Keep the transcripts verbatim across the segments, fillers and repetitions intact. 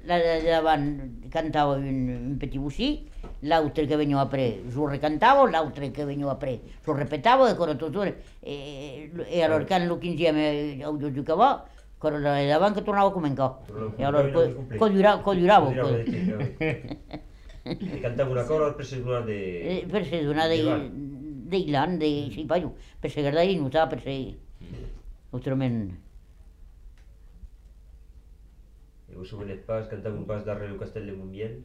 la de davant cantava un, un petit bocí, l'altre que venia après s'ho recantava, l'altre que venia après s'ho repetava, e tutto, e, e allora quando insieme ho giocava, quello da davanti che tornava come in qua, e allora cogliuravo. E cantava una cosa per sedurare dei... Per sedurare dei... dei lan, dei... sì, paio, per segardare di nuotare, per se... autrament... E vos souvenez pas, cantava un pas darrere el castell de Montbiel?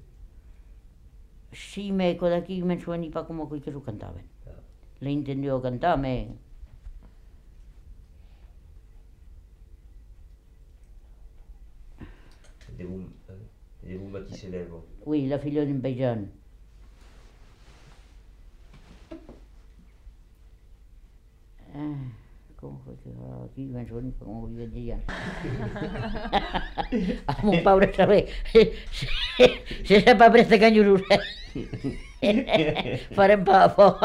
Sí, me d'aquí me sueni pa come quei che lo cantaven. Le intendevo cantare, me... De vous, de vous qui s'élève. Oui, la figlia d'un paesano. Eh, come qui me suoni pa come quei che a mon paure saber se se pa presta cagnolure. Farem pa po.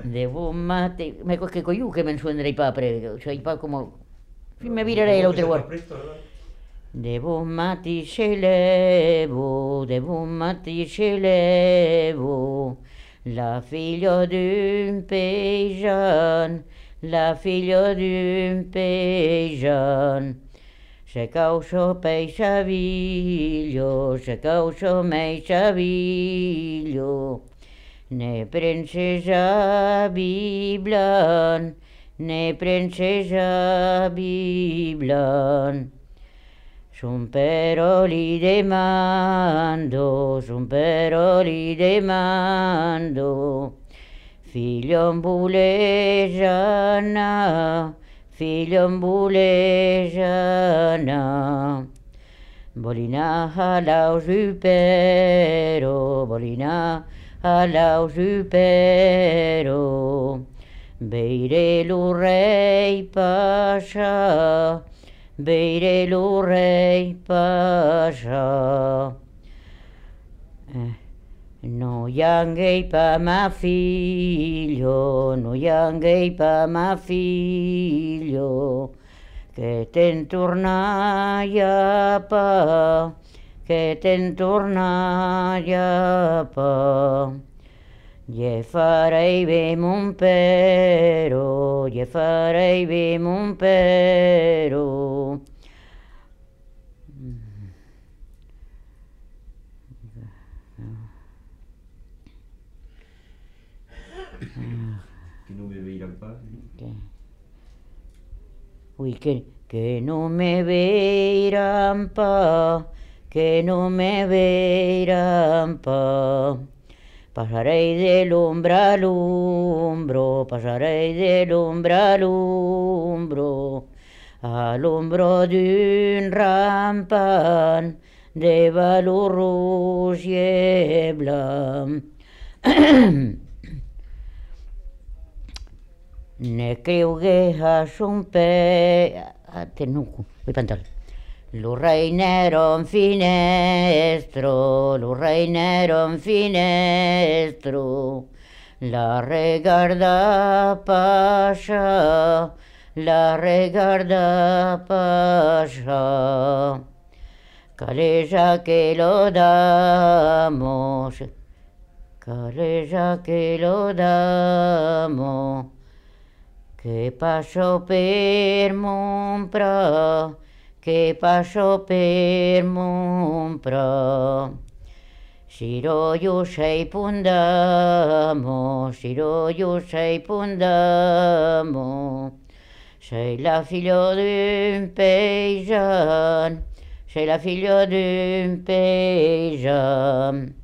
Devo mate, ma che cogliù che me suonerei pa pre, cioè pa come mi virerei l'altra volta. Devo matti ce levo, devo matti ce levo, la figlia d'un paysan, la figlia d'un paysan. Se causo peisaviglio, se causo meisaviglio, ne princesa biblan, ne princesa biblan. Son pero li demando, son pero li demando, figlio ambulejana, figlio ambulejana. Bolina halau supero, bolina halau supero, beire lu rei pasha, beire lu rei pasha. Eh, no ianghei pa ma figlio, no ianghei pa ma figlio, che ten tornaia pa, che ten tornaia pa. Gli farei be mon pero, gli farei be mon pero. Que non me veiran pas. Ui, che, che non me veiran pa, che non me veiran pa. Pasarei dell'ombra all'ombro, pasarei dell'ombra all'ombro, all'ombro d'un rampan de valor rouge et blanc. Ne creugué a son pe... a tenuco, vuoi pantare. Lo reinero in finestro, lo reinero in finestro, la regarda pasha, la regarda pasha. Calesa que lo damos, calesa que lo damos, che passo per Montpra, che passo per Montpra. Siro io sei pundamo, Siro io sei pundamo, sei la figlia d'un paysan, sei la figlia d'un paysan.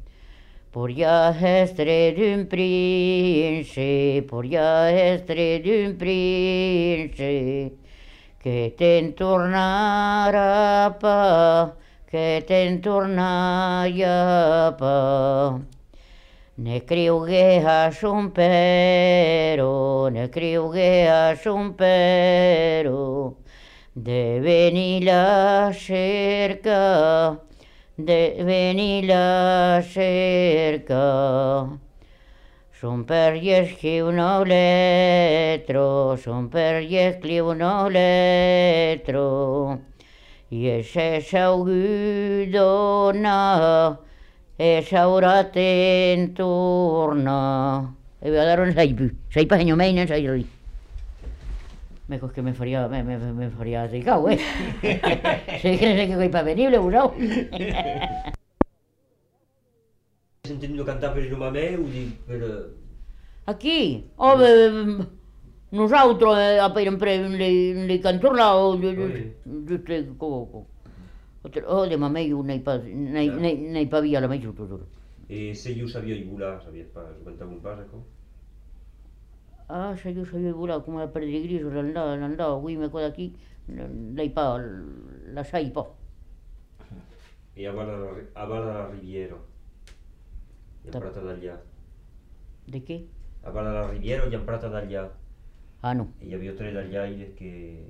Pourria estre d'un prince, pourria estre d'un prince, che te'n tornara pa, che te'n tornaia pa. Ne criugué a son pero, ne criugué a son pero, de venir a cerca, de venir a cerca. Son per gli escriu no letro, son per gli escriu no letro, I se saudona, e saura te'n torna. E voy a dar un saipu. Saipa senyor meinen, sairi. Me cos que me faria, me, me, me faria tricau, eh? Se que no sé que coi pa venible, usau. Has entendido cantar per el mamé o dic per... Aquí, home, nosaltres eh, sempre li, li cantorlao, giusto come... Oh, de mamei nei pa, nei, nei, nei pa via la mai tutto. E se io sabia i volar, sabies pas, cantava un pas, ecco? Ah, se io sabia volar come la perdere griso, l'andava, l'andava, qui me qua d'aquí, lei pa, la sai pa. E a Vala, a Vala la Riviera, gli Ta- Prata d'Allà. De què? A Vala la Riviera gli Prata d'Allà. Ah, no. E hi havia tre d'Allaires que